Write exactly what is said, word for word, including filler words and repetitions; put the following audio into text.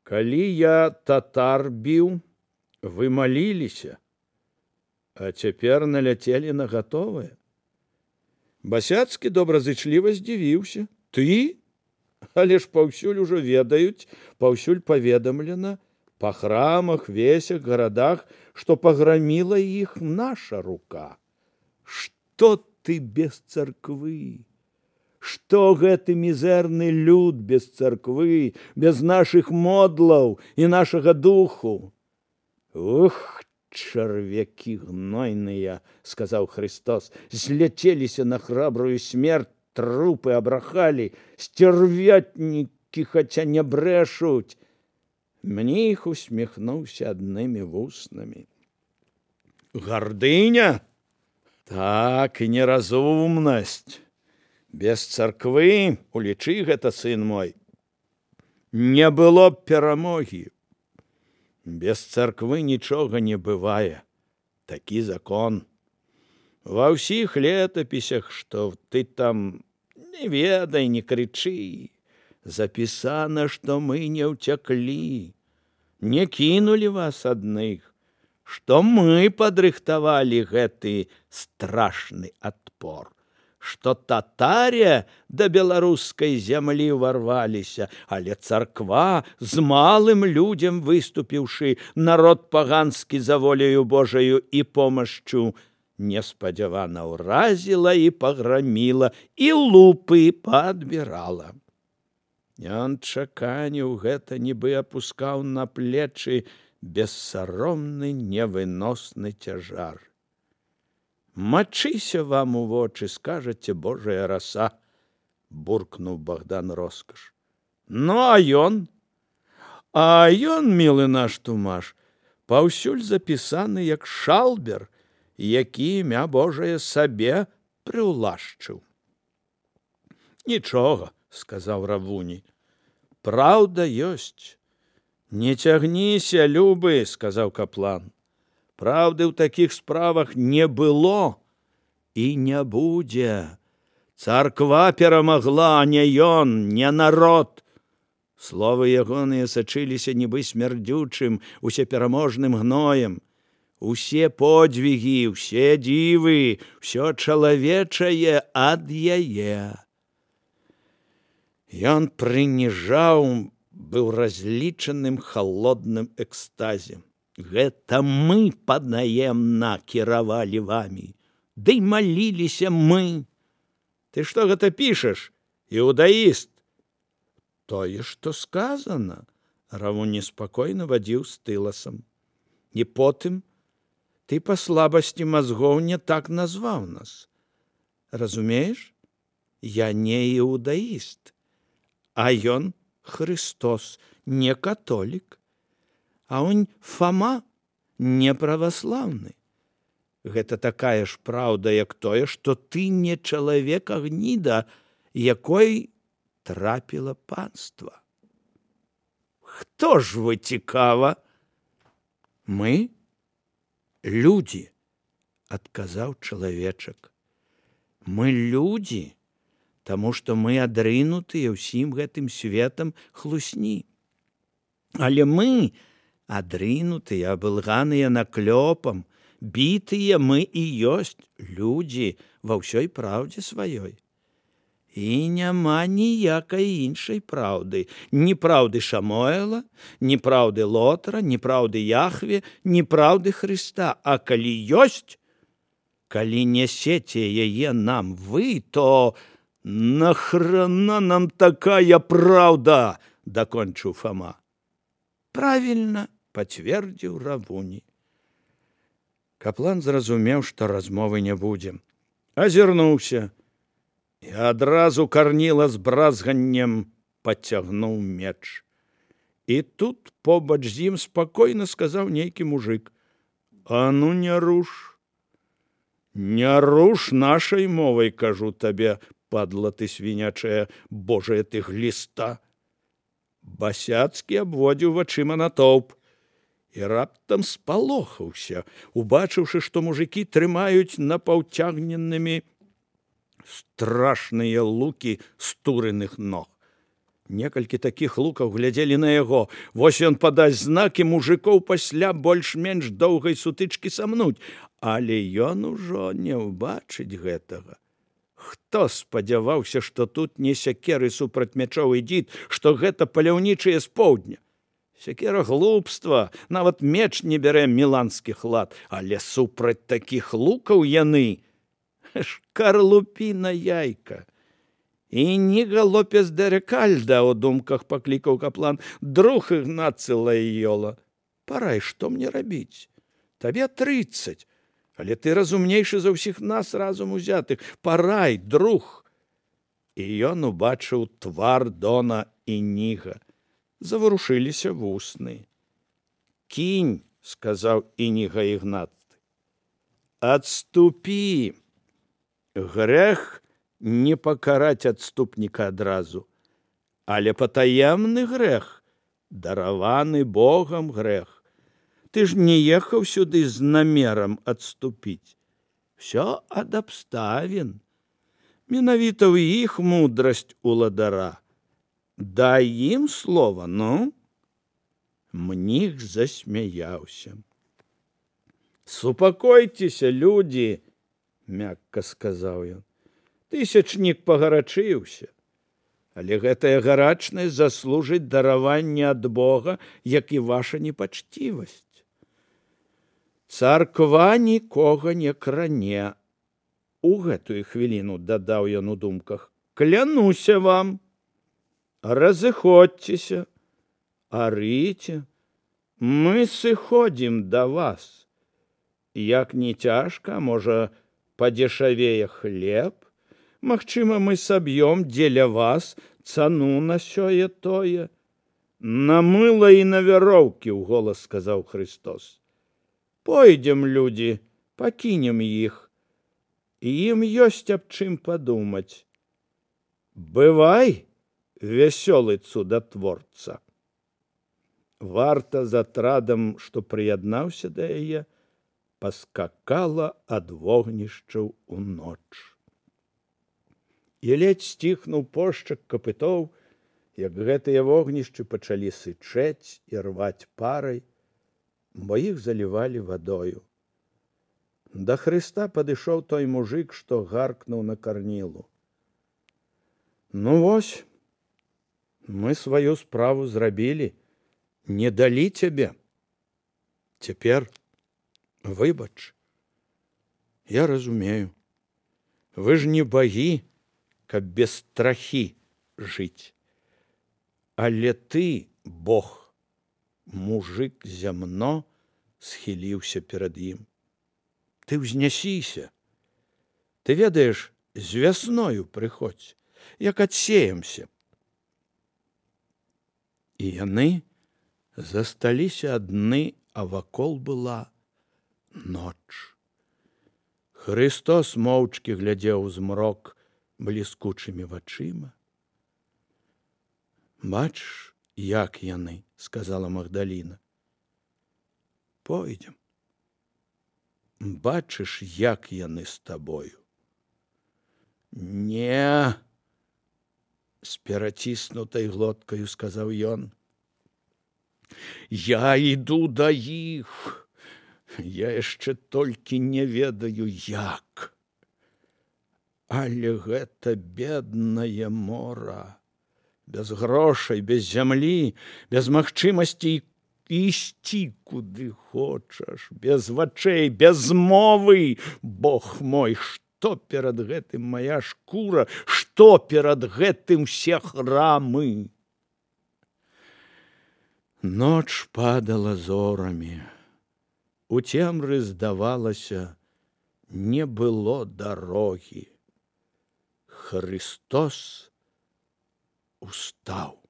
Калі я татар біў, вы маліліся, а цяпер наляцелі на гатовае. Басяцкі добразычліва здзівіўся. Ты? Але ж паўсюль ужо ведаюць, паўсюль паведамлена, па храмах, весях, гарадах, што паграміла іх наша рука. Што ты без царквы? Што гэты мізэрны люд без царквы, без нашых модлаў і нашага духу? Ух, чарвякі гнойныя, сказаў Христос, зляцеліся на храбрую смерць, трупы абрахалі, сцярвятнікі, хаця не брэшуць. Мніх усміхнуўся аднымі вуснамі. Гардыня? Так, і неразумнасць. Без царквы, улічы гэта, сын мой, не было б перамогі. Без царквы нічога не бывае. Такі закон. Ва ўсіх летапісях, што ты там не ведай, не крычы, запісана, што мы не ўцяклі, не кінулі вас адных, што мы падрыхтавалі гэты страшны адпор, што татаре да беларускай зямлі ўварваліся, але царква, з малым людзям выступіўшы, народ паганскі за воляю Божаю і помашчу, неспадзявана ўразіла і паграміла, і лупы падбірала. Ён чаканіў гэта, нібы апускаў на плечы бессаромны невыносны цяжар. Мачыся вам у вочы, скажаце, Божая раса, буркнуў Богдан Роскаш. Ну, а ён? А ён, мілы наш Тумаш, паўсюль запісаны як шалбер, які імя Божае сабе прыўлашчыў. Нічога, сказаў Равуні, праўда ёсць. Не цягніся, любы, сказаў каплан. Праўды ў такіх справах не было і не будзе. Царква перамагла, а не ён, не народ. Словы ягоныя сачыліся нібы смярдзючым, усепераможным гноем. Усе подвігі, усе дзівы, ўсё чалавечае ад яе. Ён прыніжаў, быў разлічаным халодным экстазе. Гэта мы паднаемна кіравалі вамі, ды маліліся мы. Ты што гэта пішаш, іудаіст? Тое, што сказана, Равуні спакойна вадзіў стыласам. І потым ты па слабасці мазгоў не так назваў нас. Разумееш? Я не іудаіст, а ён Христос, не католік. А он Фома не праваслаўны. Гэта такая ж праўда, як тое, што ты не чалавек, а гніда, якой трапіла панства. Хто ж вы, цікава? Мы? Людзі, адказаў чалавечак. Мы людзі, таму што мы адрынутыя ўсім гэтым светам хлусні. Але мы адрынутыя, абылганыя наклёпам, бітыя мы і ёсць людзі ва ўсёй праўдзе сваёй. І няма ніякай іншай праўды, ні праўды Шамуэла, ні праўды Лотара, ні праўды Яхве, ні праўды Хрыста. А калі ёсць, калі нясеце яе нам вы, то нахрана нам такая праўда, дакончыў Фома. Правільна, пацвердзіў Равуні. Каплан зразумеў, што размовы не будзе. Азірнуўся і адразу карніла з бразганнем пацягнуў меч. І тут побач з ім спакойна сказаў нейкі мужык. А ну не руш. Не руш нашай мовай, кажу табе, падла ты свінячая, божая ты гліста. Басяцкі абводзіў вачыма натоўп і раптам спалохаўся, убачыўшы, што мужыкі трымаюць напаўцягненымі страшныя лукі стуреных ног. Некалькі такіх лукаў глядзелі на яго. Вось ён падасць знак, і мужикоў пасля больш-менш доўгай сутычкі самнуць. Але ён ужо не ўбачыць гэтага. Хто спадзяваўся, што тут не сякеры супраць мячоў ідзіт, што гэта паляўнічыя з поўдня? Сякера глупства, нават меч не бярэ міланскі лад, але супраць такіх лукаў яны шкарлупіна яйка. «Ініга Лопес де Рекальда», — у думках паклікаў каплан, «друг Ігнацы Лайола. Парай, што мне рабіць? Табе трыццаць, але ты разумнейшы за ўсіх нас разум узятых. Парай, друг!» І ён убачыў твар дона Ініга. Заварушыліся вусны. «Кінь», — сказаў Ініга Ігнаты. «Адступі! Грэх не пакараць адступніка адразу, але патаемны грэх, дараваны Богам грэх. Ты ж не ехаў сюды з намерам адступіць. Всё ад абставін. Менавіта ў іх мудрасць уладара. Дай ім слова, ну?» Мніх засмяяўся. «Супакойцеся, людзі», — мякка сказаў ён. Тысячнік пагарачыўся, але гэтая гарачнасць заслужыць дараванне ад Бога, як і ваша непачцівасць. Царква нікога не кране. У гэтую хвіліну, дадаў ён у думках, клянуся вам. Разыходзьцеся, арыце, мы сыходзім да вас. Як не цяжка, можа, падзешавее хлеб, магчыма, мы саб'ём дзеля вас цану на сёе-тое. На мыла і на вяроўкі, — уголас сказаў Христос. Пойдзем, людзі, пакінем іх. Ім ёсць аб чым падумаць. Бывай, вясёлы цудатворца. Варта з атрадам, што прыяднаўся да яе, паскакала ад вогнішчаў у ноч. І ледзь сціхнуў пошчак капытоў, як гэтыя вогнішчы пачалі сычэць і рваць парай, бо іх залівалі вадою. Да Хрыста падышоў той мужик, што гаркнуў на карнілу. Ну вось, мы сваю справу зрабілі, не далі цябе. Цяпер выбач. Я разумею, вы ж не багі, каб без страхі жыць. Але ты, Бог, мужик зямно, схіліўся перад ім. Ты ўзнясіся. Ты ведаеш, з вясною прыходзь, як адсеемся. І яны засталіся адны, а вакол была ноч. Христос моўчкі глядзеў у змрок бліскучымі вачыма. Бачыш, як яны, — сказала Магдаліна. Пойдзем. Бачыш, як яны з табою. Не, — з пераціснутай глоткаю сказаў ён. Я іду да іх. Я яшчэ толькі не ведаю, як. Але гэта беднае мора. Без грошай, без зямлі, без магчымасці ісці куды хочаш, без вачэй, без мовы. Бог мой, што перад гэтым мая шкура, што перад гэтым все храмы. Ноч падала зорамі. У цемры, здавалася, не было дарогі. Христос устаў.